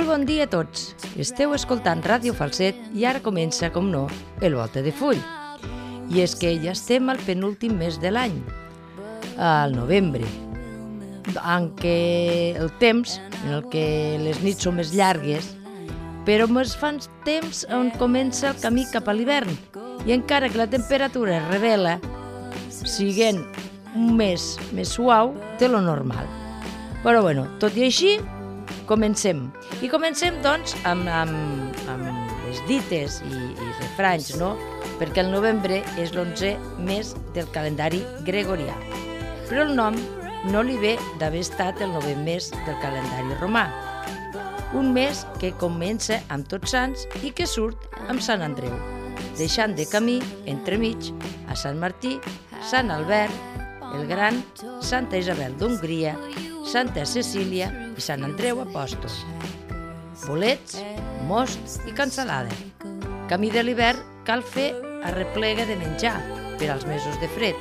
Molt bon dia a tots. Esteu escoltant Ràdio Falset i ara comença, com no, el Volta de Full. I és que ja estem al penúltim mes de l'any, al novembre, en què el temps, en el que les nits són més llargues, però més fan temps on comença el camí cap a l'hivern. I encara que la temperatura es revela, siguent un mes més suau de lo normal. Però bueno, tot i així, comencem. I comencem, doncs, amb les dites i refranys, no? Perquè el novembre és l'11è mes del calendari gregorià. Però el nom no li ve d'haver estat el 9è mes del calendari romà. Un mes que comença amb Tots Sants i que surt amb Sant Andreu, deixant de camí, entremig, a Sant Martí, Sant Albert, el Gran, Santa Isabel d'Hongria, Santa Cecília i Sant Andreu Apòstol. Bolets, most i cansalada. Camí de l'hivern cal fer arreplega de menjar per als mesos de fred.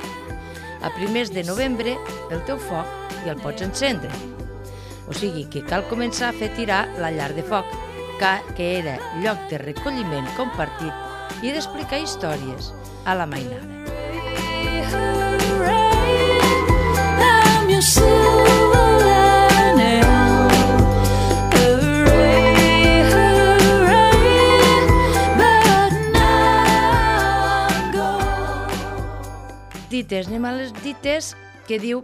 A primers de novembre el teu foc ja el pots encendre. O sigui que cal començar a fer tirar la llar de foc, que era lloc de recolliment compartit i d'explicar històries a la mainada. Dites, anem a les dites que diu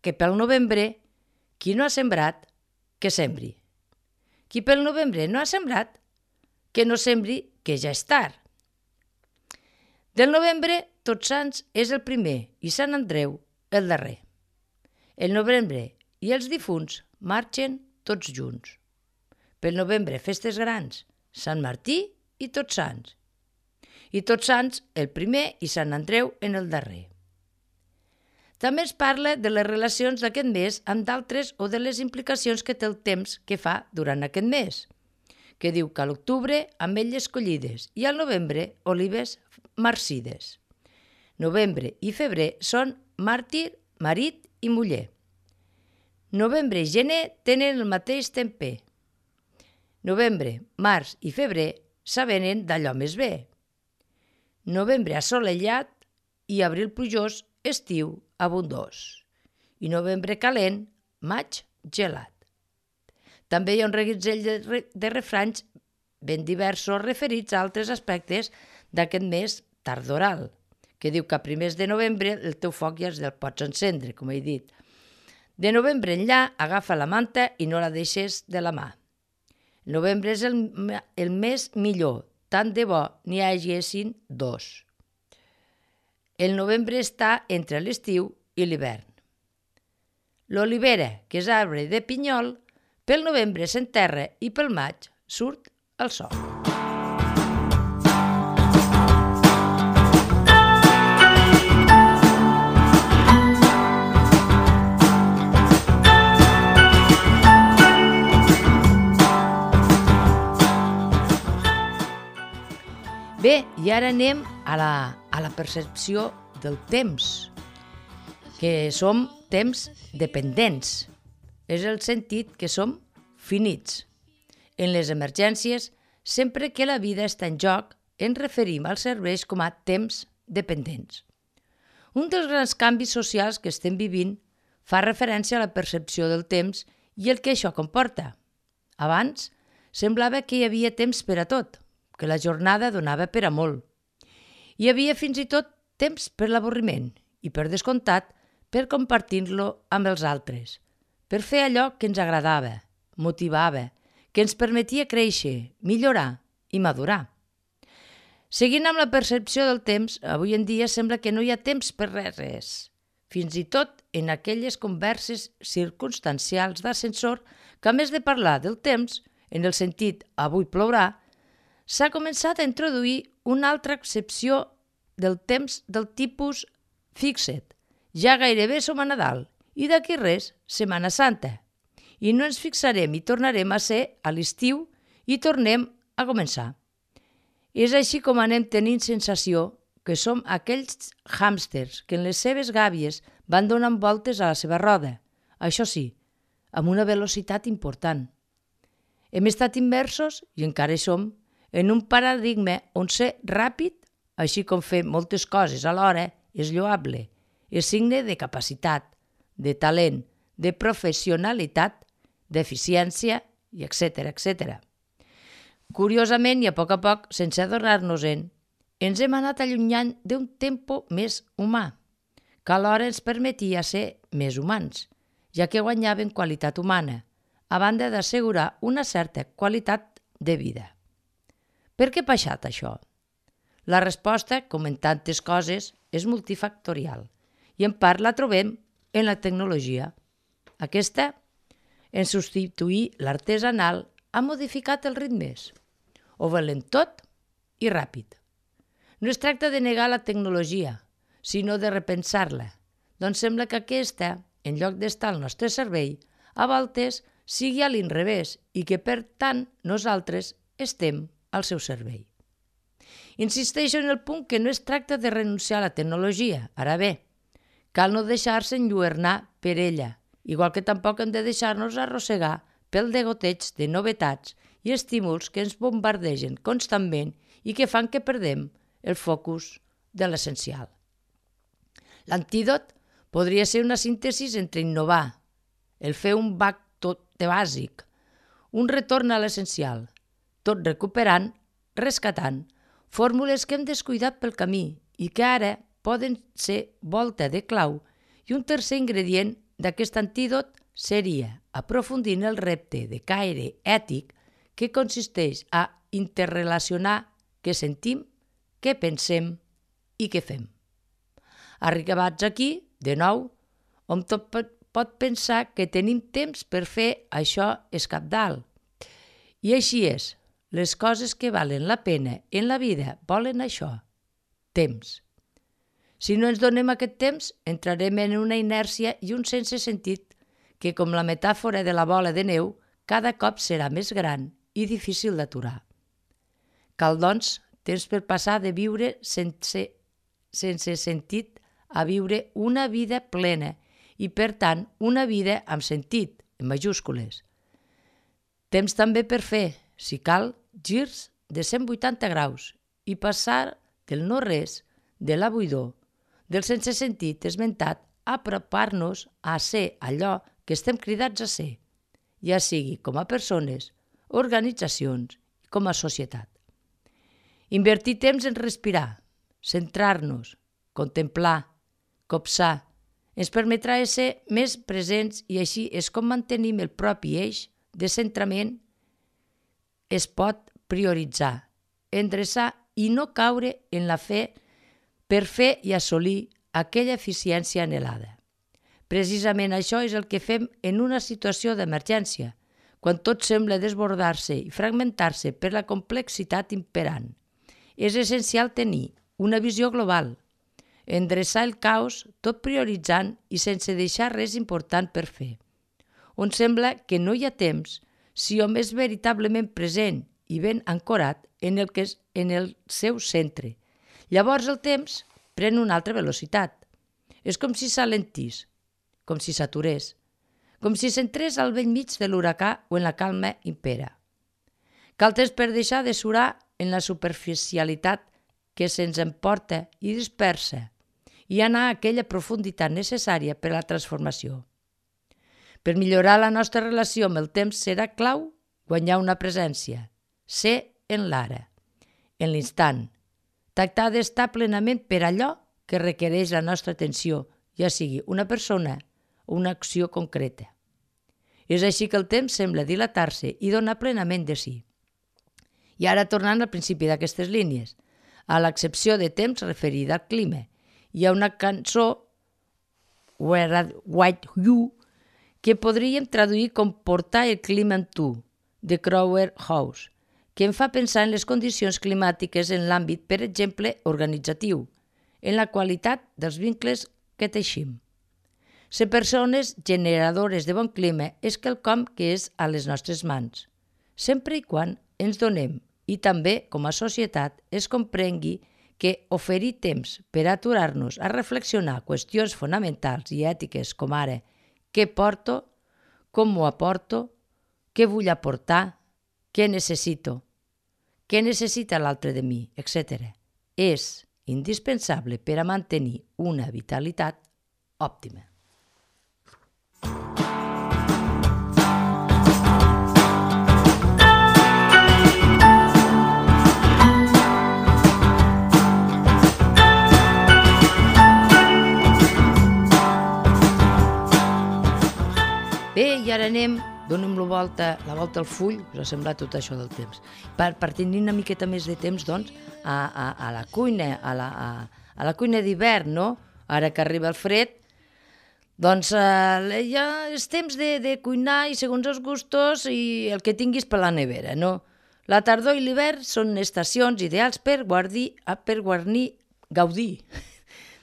que pel novembre qui no ha sembrat, que sembri. Qui pel novembre no ha sembrat, que no sembri, que ja és tard. Del novembre, Tots Sants és el primer i Sant Andreu el darrer. El novembre i els difunts marxen tots junts. Pel novembre, festes grans, Sant Martí i Tots Sants. I Tots Sants el primer i Sant Andreu en el darrer. També es parla de les relacions d'aquest mes amb d'altres o de les implicacions que té el temps que fa durant aquest mes, que diu que a l'octubre ametlles collides i al novembre olives marcides. Novembre i febrer són màrtir, marit i muller. Novembre i gener tenen el mateix temper. Novembre, març i febrer s'avenen d'allò més bé. Novembre assolellat i abril plujós, estiu abundós. I novembre calent, maig gelat. També hi ha un reguitzell de refranys ben diversos referits a altres aspectes d'aquest mes tardoral, que diu que a primers de novembre el teu foc ja el pots encendre, com he dit. De novembre enllà, agafa la manta i no la deixes de la mà. El novembre és el mes millor, tant de bo n'hi haguessin dos. El novembre està entre l'estiu i l'hivern. L'olivera, que és arbre de pinyol, pel novembre s'enterra i pel maig surt el sol. Bé, i ara anem a la percepció del temps, que som temps dependents. És el sentit que som finits. En les emergències, sempre que la vida està en joc, ens referim als serveis com a temps dependents. Un dels grans canvis socials que estem vivint fa referència a la percepció del temps i el que això comporta. Abans, semblava que hi havia temps per a tot, que la jornada donava per a molt. Hi havia fins i tot temps per l'avorriment i, per descomptat, per compartir-lo amb els altres, per fer allò que ens agradava, motivava, que ens permetia créixer, millorar i madurar. Seguint amb la percepció del temps, avui en dia sembla que no hi ha temps per res. Fins i tot en aquelles converses circumstancials d'ascensor que, a més de parlar del temps, en el sentit avui plourà, s'ha començat a introduir una altra accepció del temps del tipus fixa't. Ja gairebé som a Nadal i d'aquí res, Setmana Santa. I no ens fixarem i tornarem a ser a l'estiu i tornem a començar. És així com anem tenint sensació que som aquells hàmsters que en les seves gàbies van donant voltes a la seva roda. Això sí, amb una velocitat important. Hem estat immersos, i encara hi som, en un paradigma on ser ràpid, així com fer moltes coses alhora, és lloable, és signe de capacitat, de talent, de professionalitat, d'eficiència, i etc. Curiosament, i a poc, sense adonar-nos-en, ens hem anat allunyant d'un tempo més humà, que alhora ens permetia ser més humans, ja que guanyaven qualitat humana, a banda d'assegurar una certa qualitat de vida. Per què ha passat això? La resposta, com en tantes coses, és multifactorial i en part la trobem en la tecnologia. Aquesta, en substituir l'artesanal, ha modificat els ritmes. Ho volen tot i ràpid. No es tracta de negar la tecnologia, sinó de repensar-la. Doncs sembla que aquesta, en lloc d'estar al nostre servei, a voltes sigui a l'inrevés i que, per tant, nosaltres estem al seu servei. Insisteixo en el punt que no es tracta de renunciar a la tecnologia. Ara bé, cal no deixar-se enlluernar per ella, igual que tampoc hem de deixar-nos arrossegar pel degoteig de novetats i estímuls que ens bombardegen constantment i que fan que perdem el focus de l'essencial. L'antídot podria ser una síntesi entre innovar, el fer un bac tot de bàsic, un retorn a l'essencial, tot recuperant, rescatant, fórmules que hem descuidat pel camí i que ara poden ser volta de clau, i un tercer ingredient d'aquest antídot seria aprofundir en el repte de caire ètic que consisteix a interrelacionar què sentim, què pensem i què fem. Arribats aquí, de nou, hom tot pot pensar que tenim temps per fer això és cabdal. I així és. Les coses que valen la pena en la vida volen això, temps. Si no ens donem aquest temps, entrarem en una inèrcia i un sense sentit que, com la metàfora de la bola de neu, cada cop serà més gran i difícil d'aturar. Cal, doncs, temps per passar de viure sense sentit a viure una vida plena i, per tant, una vida amb sentit, en majúscules. Temps també per fer, si cal, girs de 180 graus i passar del no-res, de la buidor, del sense sentit esmentat, a apropar-nos a ser allò que estem cridats a ser, ja sigui com a persones, organitzacions i com a societat. Invertir temps en respirar, centrar-nos, contemplar, copsar, ens permetrà ser més presents i així és com mantenim el propi eix de centrament. Es pot prioritzar, endreçar i no caure en la fe per fer i assolir aquella eficiència anhelada. Precisament això és el que fem en una situació d'emergència, quan tot sembla desbordar-se i fragmentar-se per la complexitat imperant. És essencial tenir una visió global, endreçar el caos tot prioritzant i sense deixar res important per fer. On sembla que no hi ha temps si hom és veritablement present i ben ancorat en el seu centre. Llavors el temps pren una altra velocitat. És com si s'alentís, com si s'aturés, com si s'entrés al bell mig de l'huracà o en la calma impera. Cal temps per deixar de surar en la superficialitat que se'ns emporta i dispersa i anar a aquella profunditat necessària per a la transformació. Per millorar la nostra relació amb el temps serà clau guanyar una presència, ser en l'ara, en l'instant, tractar d'estar plenament per allò que requereix la nostra atenció, ja sigui una persona o una acció concreta. És així que el temps sembla dilatar-se i donar plenament de si. I ara tornant al principi d'aquestes línies, a l'excepció de temps referida al clima, hi ha una cançó, Where White You, que podríem traduir com Portar el clima amb tu, de Crowther House, que em fa pensar en les condicions climàtiques en l'àmbit, per exemple, organitzatiu, en la qualitat dels vincles que teixim. Ser persones generadores de bon clima és quelcom que és a les nostres mans, sempre i quan ens donem i també, com a societat, es comprengui que oferir temps per aturar-nos a reflexionar qüestions fonamentals i ètiques com ara què porto, com m'ho aporto, què vull aportar, què necessito, què necessita l'altre de mi, etc. És indispensable per a mantenir una vitalitat òptima. Bé, i ara donem la volta al full, us ha semblat tot això del temps. Per tenir una miqueta més de temps, doncs, a la cuina, a la cuina d'hivern, no? Ara que arriba el fred, doncs ja és temps de cuinar i segons els gustos i el que tinguis per la nevera, no? La tardor i l'hivern són estacions ideals per gaudir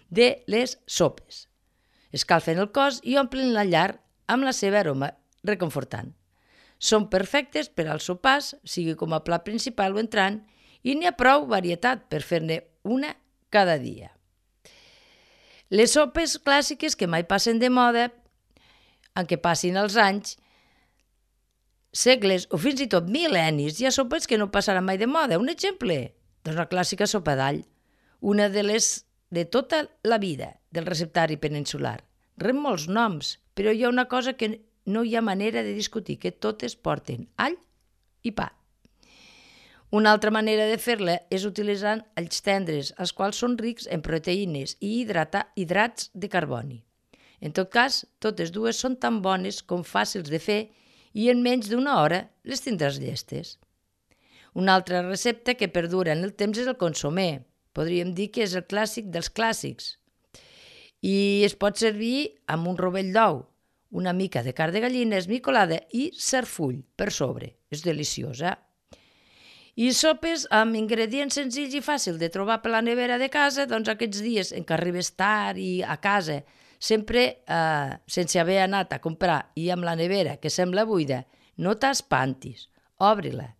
de les sopes. Escalfen el cos i omplen la llar amb la seva aroma reconfortant. Són perfectes per als sopars, sigui com a plat principal o entrant, i n'hi ha prou varietat per fer-ne una cada dia. Les sopes clàssiques que mai passen de moda, en què passin els anys, segles o fins i tot mil·lennis, hi ha sopes que no passaran mai de moda. Un exemple, doncs la clàssica sopa d'all, una de les de tota la vida del receptari peninsular. Rep molts noms, però hi ha una cosa que no hi ha manera de discutir, que totes porten all i pa. Una altra manera de fer-la és utilitzant alls tendres, els quals són rics en proteïnes i hidrats de carboni. En tot cas, totes dues són tan bones com fàcils de fer i en menys d'una hora les tindràs llestes. Una altra recepta que perdura en el temps és el consomé. Podríem dir que és el clàssic dels clàssics. I es pot servir amb un rovell d'ou, una mica de carn de gallina esmicolada i serfull per sobre. És deliciosa. I sopes amb ingredients senzills i fàcils de trobar per la nevera de casa, doncs aquests dies en què arribes tard i a casa, sempre sense haver anat a comprar i amb la nevera que sembla buida, no t'espantis, obri-la.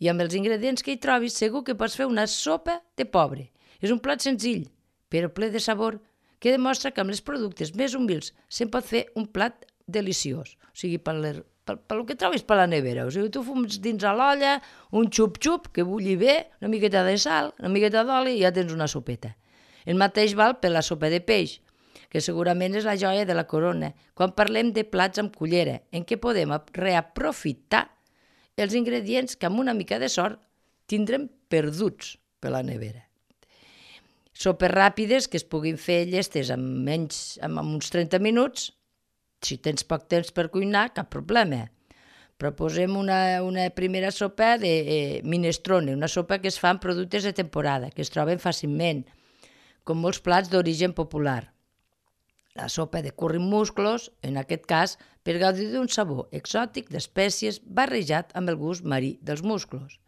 I amb els ingredients que hi trobis segur que pots fer una sopa de pobre. És un plat senzill, però ple de sabor, que demostra que amb els productes més humils se'n pot fer un plat deliciós. O sigui, pel que trobis per la nevera. O sigui, tu fums dins a l'olla, un xup-xup que bulli bé, una miqueta de sal, una miqueta d'oli i ja tens una sopeta. El mateix val per la sopa de peix, que segurament és la joia de la corona, quan parlem de plats amb cullera, en què podem reaprofitar els ingredients que amb una mica de sort tindrem perduts per la nevera. Sopes ràpides que es puguin fer llestes amb uns 30 minuts. Si tens poc temps per cuinar, cap problema. Proposem una primera sopa de minestrone, una sopa que es fa amb productes de temporada, que es troben fàcilment, com molts plats d'origen popular. La sopa de curri amb musclos, en aquest cas, per gaudir d'un sabor exòtic d'espècies barrejat amb el gust marí dels musclos.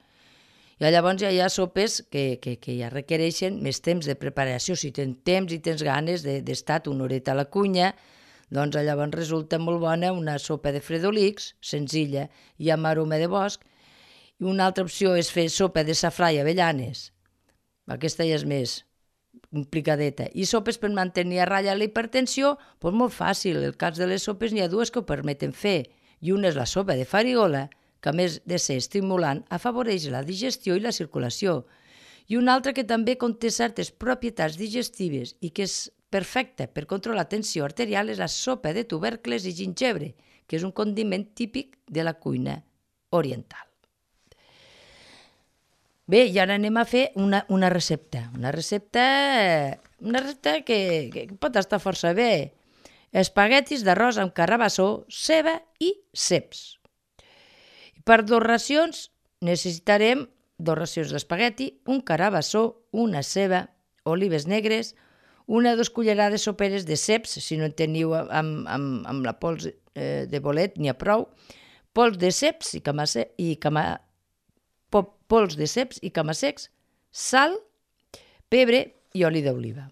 I llavors ja hi ha sopes que ja requereixen més temps de preparació. Si tens temps i tens ganes d'estar una horeta a la cuina, doncs llavors resulta molt bona una sopa de fredolics, senzilla i amb aroma de bosc. I una altra opció és fer sopa de safrà i avellanes. Aquesta ja és més complicadeta. I sopes per mantenir a ratlla la hipertensió, doncs molt fàcil. En el cas de les sopes n'hi ha dues que ho permeten fer. I una és la sopa de farigola, que a més de ser estimulant, afavoreix la digestió i la circulació. I una altra que també conté certes propietats digestives i que és perfecta per controlar la tensió arterial és la sopa de tubercles i gingebre, que és un condiment típic de la cuina oriental. Bé, i ara anem a fer una recepta. Una recepta que pot estar força bé. Espaguetis d'arròs amb carabassó, ceba i ceps. Per 2 racions necessitarem 2 racions d'espagueti, un carabassó, una ceba, olives negres, 1 o 2 cullerades soperes de ceps, si no en teniu amb la pols de bolet n'hi ha prou, pols de ceps i cama-secs, sal, pebre i oli d'oliva.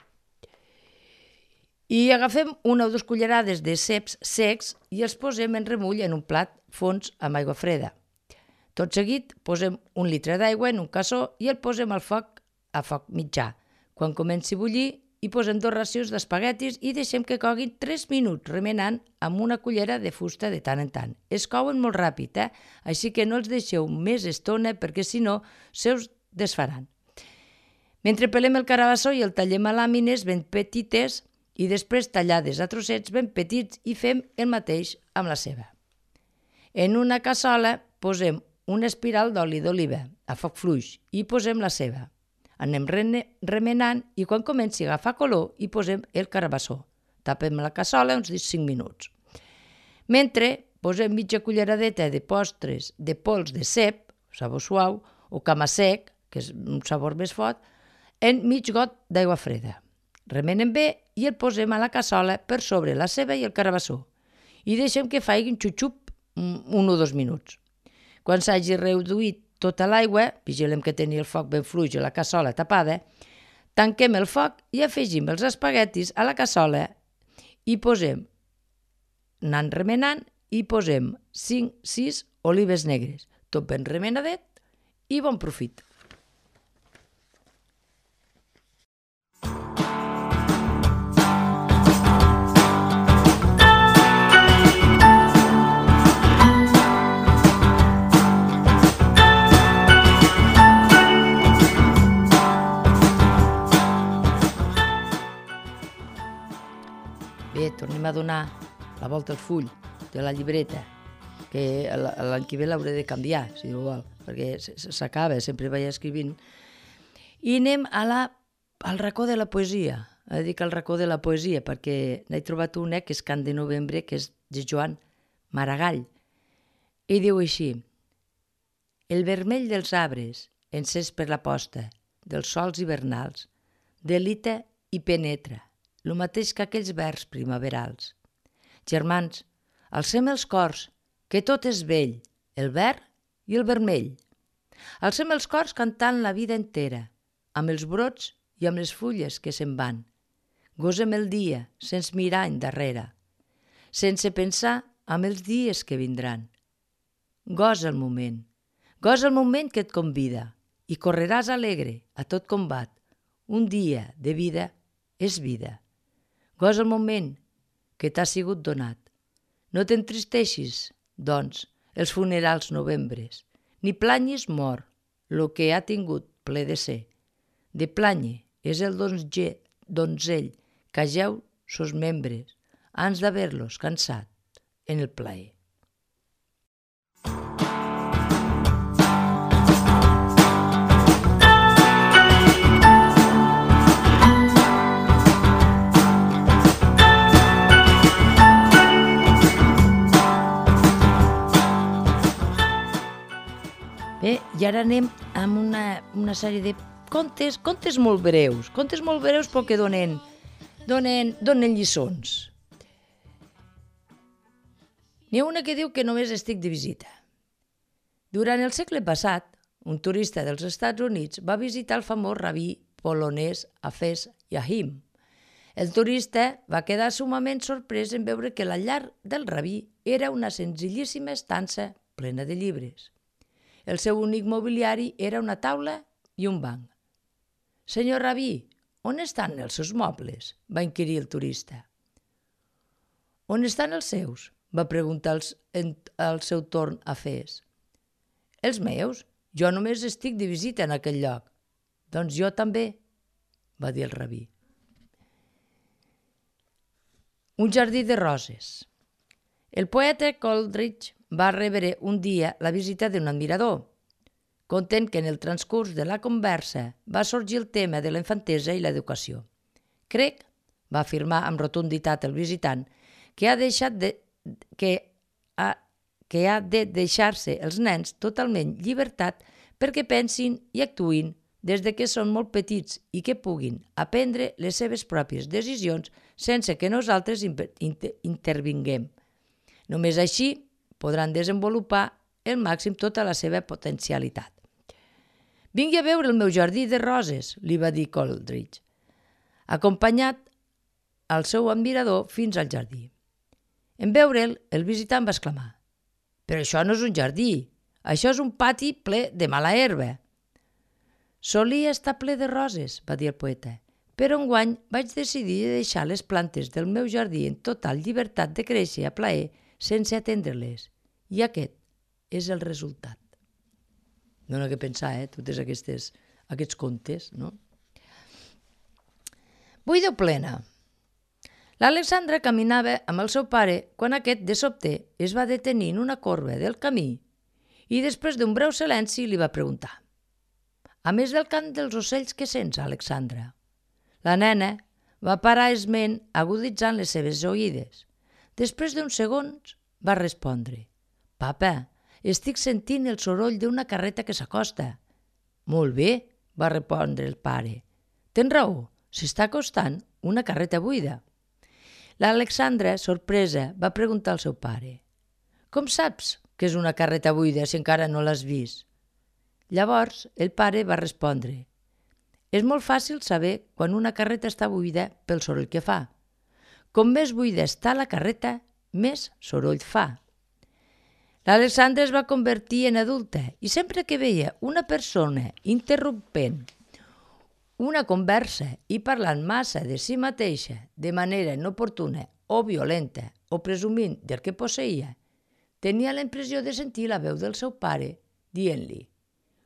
I agafem 1 o 2 cullerades de ceps secs i els posem en remull en un plat fons amb aigua freda. Tot seguit posem 1 litre d'aigua en un cassó i el posem al foc a foc mitjà. Quan comenci a bullir, i posem 2 racions d'espaguetis i deixem que coguin 3 minuts remenant amb una cullera de fusta de tant en tant. Es couen molt ràpid, així que no els deixeu més estona perquè si no se us desfaran. Mentre pelem el carabassó i el tallem a làmines ben petites i després tallades a trossets ben petits i fem el mateix amb la ceba. En una cassola posem una espiral d'oli d'oliva a foc fluix i posem la ceba. Anem remenant i quan comenci a agafar color hi posem el carabassó. Tapem la cassola uns 5 minuts. Mentre posem mitja culleradeta de postres de pols de cep, sabor suau, o cama-sec, que és un sabor més fort, en mig got d'aigua freda. Remenem bé i el posem a la cassola per sobre la ceba i el carabassó i deixem que faiguin xup-xup 1 o 2 minuts. Quan s'hagi reduït tota l'aigua, vigilem que tenia el foc ben fluix i la cassola tapada, tanquem el foc i afegim els espaguetis a la cassola i posem, anant remenant, i posem 5-6 olives negres, tot ben remenadet i bon profit. Bé, tornem a donar la volta al full de la llibreta, que l'any que ve l'hauré de canviar, si no vol, perquè s'acaba, sempre vaig escrivint. I anem al racó de la poesia, dic al racó de la poesia, perquè n'he trobat una que és Cant de novembre, que és de Joan Maragall, i diu així: el vermell dels arbres, encès per la posta, dels sols hivernals, delita i penetra, lo mateix que aquells vers primaverals. Germans, alcem els cors, que tot és vell, el verd i el vermell. Alcem els cors cantant la vida entera, amb els brots i amb les fulles que se'n van. Gosem el dia sense mirar endarrere, sense pensar en els dies que vindran. Gosa el moment que et convida i correràs alegre a tot combat. Un dia de vida és vida. Gosa el moment que t'ha sigut donat. No t'entristeixis, doncs, els funerals novembres, ni planyis mort lo que ha tingut ple de ser. De planye és el donzell que jeu sos membres, ans d'haver-los cansat en el plaer. Bé, i ara anem amb una sèrie de contes molt breus però que donen lliçons. N'hi ha una que diu que només estic de visita. Durant el segle passat, un turista dels Estats Units va visitar el famós rabí polonès Hafez Yahim. El turista va quedar sumament sorprès en veure que la llar del rabí era una senzillíssima estança plena de llibres. El seu únic mobiliari era una taula i un banc. «Senyor rabí, on estan els seus mobles?», va inquirir el turista. «On estan els seus?», va preguntar al seu torn Hafez. «Els meus? Jo només estic de visita en aquell lloc». «Doncs jo també», va dir el rabí. Un jardí de roses. El poeta Coleridge va rebre un dia la visita d'un admirador. Content que en el transcurs de la conversa va sorgir el tema de la infantesa i l'educació. «Crec», va afirmar amb rotunditat el visitant, que ha de deixar-se els nens totalment llibertat perquè pensin i actuïn des de que són molt petits i que puguin aprendre les seves pròpies decisions sense que nosaltres intervinguem. Només així podran desenvolupar al màxim tota la seva potencialitat. «Vingui a veure el meu jardí de roses», li va dir Coleridge, acompanyat al seu admirador fins al jardí. En veure'l, el visitant va exclamar: «Però això no és un jardí, això és un pati ple de mala herba». «Solia estar ple de roses», va dir el poeta, però enguany vaig decidir deixar les plantes del meu jardí en total llibertat de créixer a plaer sense atendre-les. I aquest és el resultat. No n'he de pensar, totes aquests contes, no? Buida o plena. L'Alexandra caminava amb el seu pare quan aquest, de sobte, es va detenir en una corba del camí i després d'un breu silenci li va preguntar: «A més del cant dels ocells, què sents, Alexandra?» La nena va parar esment aguditzant les seves oïdes. Després d'uns segons va respondre: «Papa, estic sentint el soroll d'una carreta que s'acosta». «Molt bé», va respondre el pare. «Tens raó, s'està acostant una carreta buida». L'Alexandra, sorpresa, va preguntar al seu pare: «Com saps que és una carreta buida si encara no l'has vist?» Llavors el pare va respondre: «És molt fàcil saber quan una carreta està buida pel soroll que fa. Com més buida està la carreta, més soroll fa». L'Alexandra es va convertir en adulta i sempre que veia una persona interrompent una conversa i parlant massa de si mateixa de manera inoportuna o violenta o presumint del que posseïa, tenia la impressió de sentir la veu del seu pare dient-li: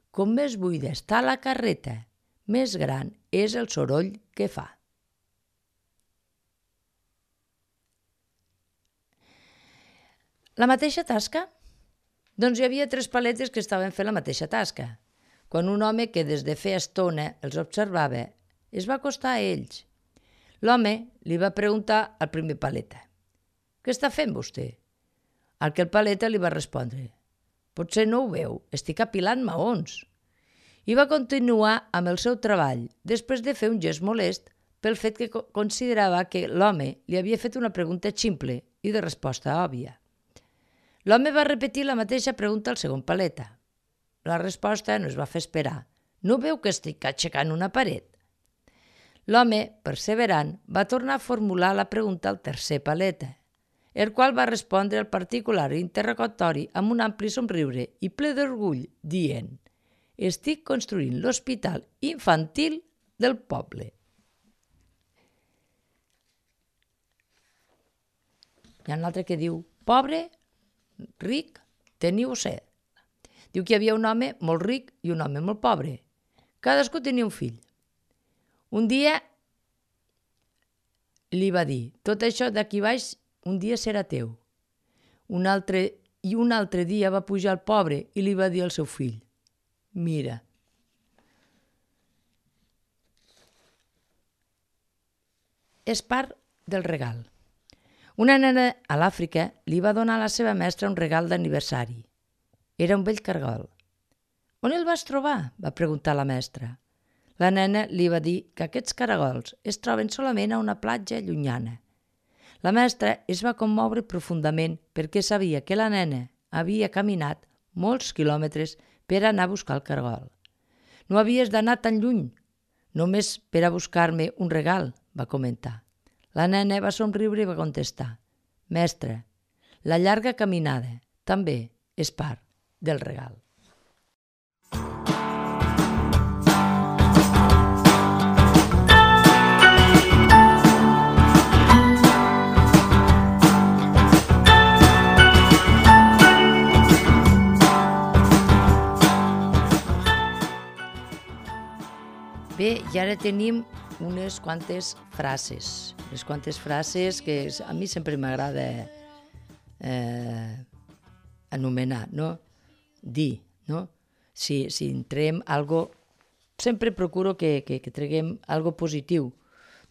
«Com més buida està la carreta, més gran és el soroll que fa». La mateixa tasca? Doncs hi havia 3 paletes que estaven fent la mateixa tasca. Quan un home que des de feia estona els observava es va acostar a ells. L'home li va preguntar al primer paleta: «Què està fent vostè?» Al que el paleta li va respondre: «Potser no ho veu, estic apilant maons». I va continuar amb el seu treball, després de fer un gest molest pel fet que considerava que l'home li havia fet una pregunta ximple i de resposta òbvia. L'home va repetir la mateixa pregunta al segon paleta. La resposta no es va fer esperar. «No veu que estic aixecant una paret?» L'home, perseverant, va tornar a formular la pregunta al tercer paleta, el qual va respondre al particular interrogatori amb un ampli somriure i ple d'orgull, dient: «Estic construint l'hospital infantil del poble». Hi ha un altre que diu: «Pobre, ric, teniu set». Diu que hi havia un home molt ric i un home molt pobre. Cadascú tenia un fill. Un dia li va dir: «Tot això d'aquí baix un dia serà teu». Un altre dia va pujar el pobre i li va dir al seu fill: «Mira». És part del regal. Una nena a l'Àfrica li va donar a la seva mestra un regal d'aniversari. Era un vell cargol. «On el vas trobar?», va preguntar la mestra. La nena li va dir que aquests caragols es troben solament a una platja llunyana. La mestra es va commoure profundament perquè sabia que la nena havia caminat molts quilòmetres per anar a buscar el cargol. «No havies d'anar tan lluny, només per a buscar-me un regal», va comentar. La nena va somriure i va contestar: «Mestra, la llarga caminada també és part del regal». Bé, i ara tenim unes quantes frases que a mi sempre m'agrada anomenar, no? Dir, no? Si entrem algo, sempre procuro que treguem algo positiu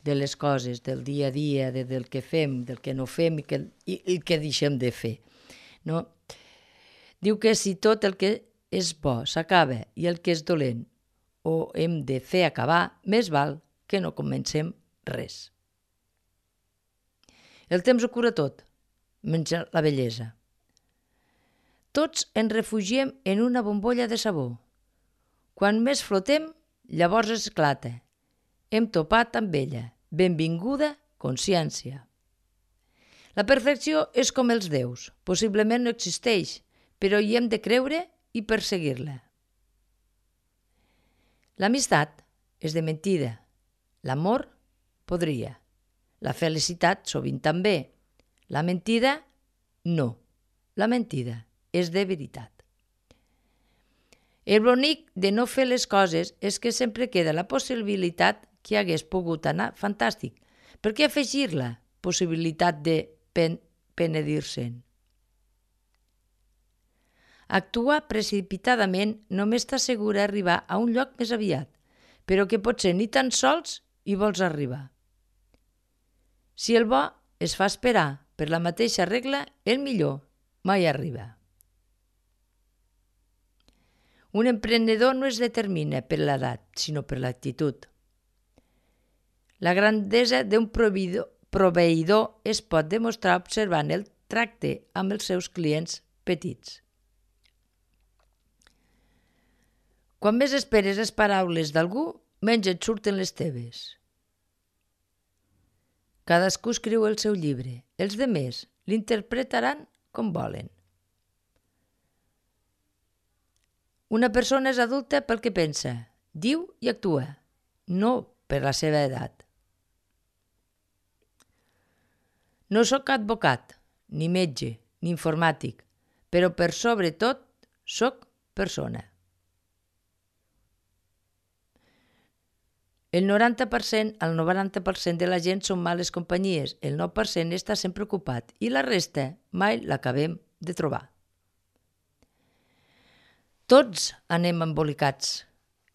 de les coses, del dia a dia, del que fem, del que no fem i el que deixem de fer, no? Diu que si tot el que és bo s'acaba i el que és dolent o hem de fer acabar, més val que no comencem res. El temps ho cura tot, menys la bellesa. Tots ens refugiem en una bombolla de sabó. Quan més flotem, llavors esclata. Hem topat amb ella. Benvinguda consciència. La perfecció és com els déus. Possiblement no existeix, però hi hem de creure i perseguir-la. L'amistat és de mentida. L'amor podria. La felicitat sovint també. La mentida, no. La mentida és de veritat. El bonic de no fer les coses és que sempre queda la possibilitat que hagués pogut anar fantàstic. Per què afegir la possibilitat de penedir-se'n? Actuar precipitadament només t'assegura arribar a un lloc més aviat, però que potser ni tan sols hi vols arribar. Si el bo es fa esperar per la mateixa regla, el millor mai arriba. Un emprenedor no es determina per l'edat, sinó per l'actitud. La grandesa d'un proveïdor es pot demostrar observant el tracte amb els seus clients petits. Quan més esperes les paraules d'algú, menys et surten les teves. Cadascú escriu el seu llibre, els demés l'interpretaran com volen. Una persona és adulta pel que pensa, diu i actua, no per la seva edat. No sóc advocat, ni metge, ni informàtic, però per sobre tot sóc persona. El 90% al 90% de la gent són males companyies, el 9% està sempre ocupat i la resta mai l'acabem de trobar. Tots anem embolicats.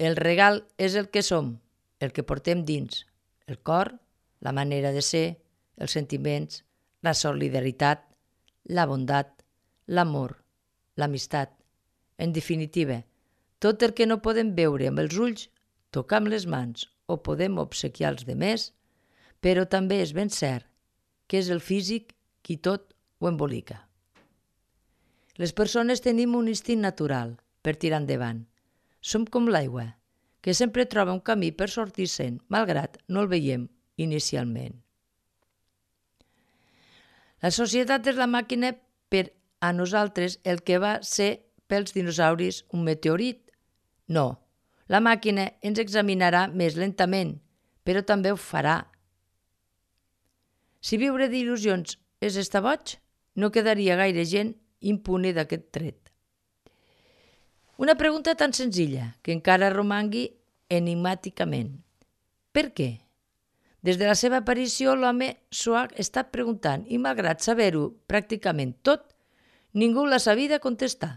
El regal és el que som, el que portem dins, el cor, la manera de ser, els sentiments, la solidaritat, la bondat, l'amor, l'amistat. En definitiva, tot el que no podem veure amb els ulls, tocar amb les mans o podem obsequiar els demés, però també és ben cert que és el físic qui tot ho embolica. Les persones tenim un instint natural per tirar endavant. Som com l'aigua, que sempre troba un camí per sortir-se'n, malgrat no el veiem inicialment. La societat és la màquina per a nosaltres el que va ser pels dinosauris un meteorit. No, la màquina ens examinarà més lentament, però també ho farà. Si viure d'il·lusions és estar boig, no quedaria gaire gent impune d'aquest tret. Una pregunta tan senzilla que encara romangui enigmàticament. Per què? Des de la seva aparició l'home s'ho ha estat preguntant i malgrat saber-ho pràcticament tot, ningú l'ha sabida contestar.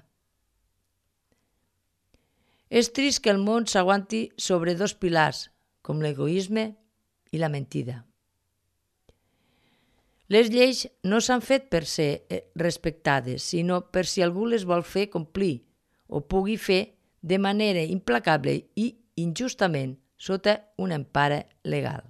És trist que el món s'aguanti sobre dos pilars, com l'egoisme i la mentida. Les lleis no s'han fet per ser respectades, sinó per si algú les vol fer complir o pugui fer de manera implacable i injustament sota una empara legal.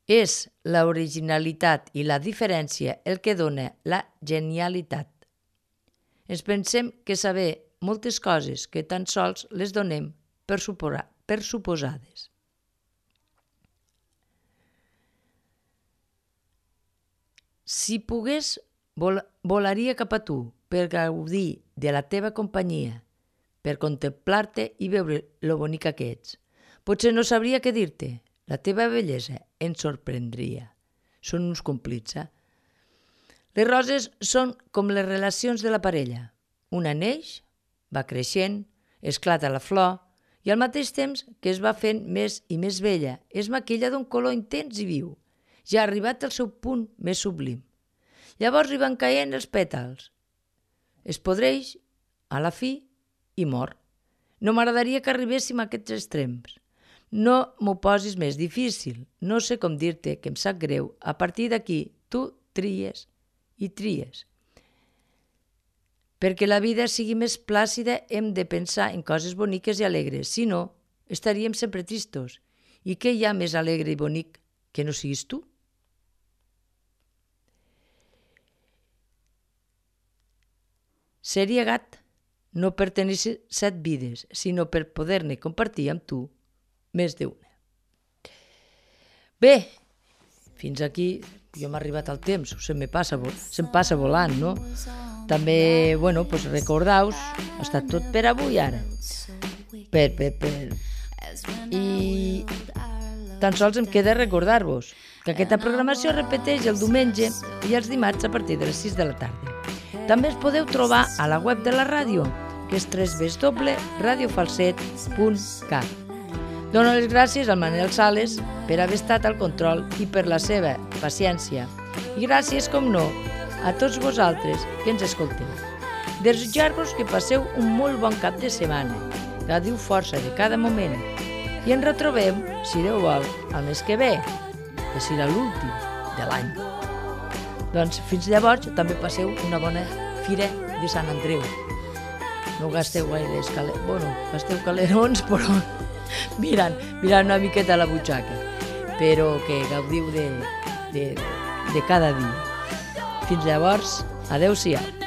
És l'originalitat i la diferència el que dona la genialitat. Ens pensem que saber moltes coses que tan sols les donem per suposades. Si pogués, volaria cap a tu per gaudir de la teva companyia, per contemplar-te i veure lo bonica que ets. Potser no sabria què dir-te. La teva bellesa ens sorprendria. Són uns complits, Les roses són com les relacions de la parella. Una neix, va creixent, esclata la flor i al mateix temps que es va fent més i més bella, es maquilla d'un color intens i viu. Ja ha arribat al seu punt més sublim. Llavors hi van caient els pètals. Es podreix, a la fi, i mor. No m'agradaria que arribéssim a aquests extrems. No m'ho posis més difícil. No sé com dir-te que em sap greu. A partir d'aquí, tu tries i tries. Perquè la vida sigui més plàcida hem de pensar en coses boniques i alegres. Si no, estaríem sempre tristos. I què hi ha més alegre i bonic que no siguis tu? Seria gat, no per tenir 7 vides, sinó per poder-ne compartir amb tu més d'una. Bé, fins aquí jo m'ha arribat el temps, se'm passa volant, no? També, recordeu-vos, ha estat tot per avui ara. I tan sols em queda recordar-vos que aquesta programació es repeteix el diumenge i els dimarts a partir de les 6 de la tarda. També es podeu trobar a la web de la ràdio, que és www.radiofalset.cat. Dono les gràcies al Manel Sales per haver estat al control i per la seva paciència. I gràcies, com no, a tots vosaltres que ens escolteu. Desitjar-vos que passeu un molt bon cap de setmana, gaudiu força de cada moment i ens retrobem, si Déu vol, el mes que ve, que serà l'últim de l'any. Doncs fins llavors també passeu una bona fira de Sant Andreu. No gasteu gaire gasteu calerons, però mirant una miqueta a la butxaca, però que gaudiu de cada dia. Fins llavors, adeu-siau.